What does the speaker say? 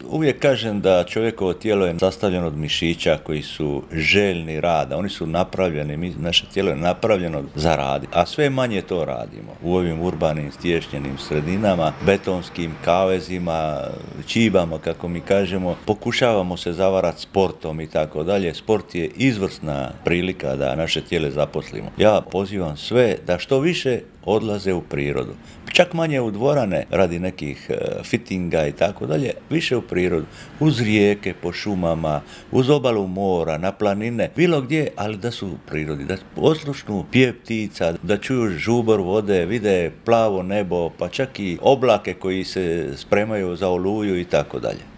uvijek kažem da čovjekovo tijelo je sastavljeno od mišića koji su željni rada. Oni su napravljeni, naše tijelo je napravljeno za rad, a sve manje to radimo. U ovim urbanim, stješnjenim sredinama, betonskim kavezima, čibama, kako mi kažemo, pokušavamo se zavarati sportom i tako dalje. Sport je izvrsna prilika da naše tijelo zaposlimo. Ja pozivam sve da što više odlaze u prirodu. Čak manje u dvorane radi nekih fittinga i tako dalje, više u prirodu. Uz rijeke, po šumama, uz obalu mora, na planine, bilo gdje, ali da su u prirodi, da oslušnu pjev ptica, da čuju žubor vode, vide plavo nebo, pa čak i oblake koji se spremaju za oluju i tako dalje.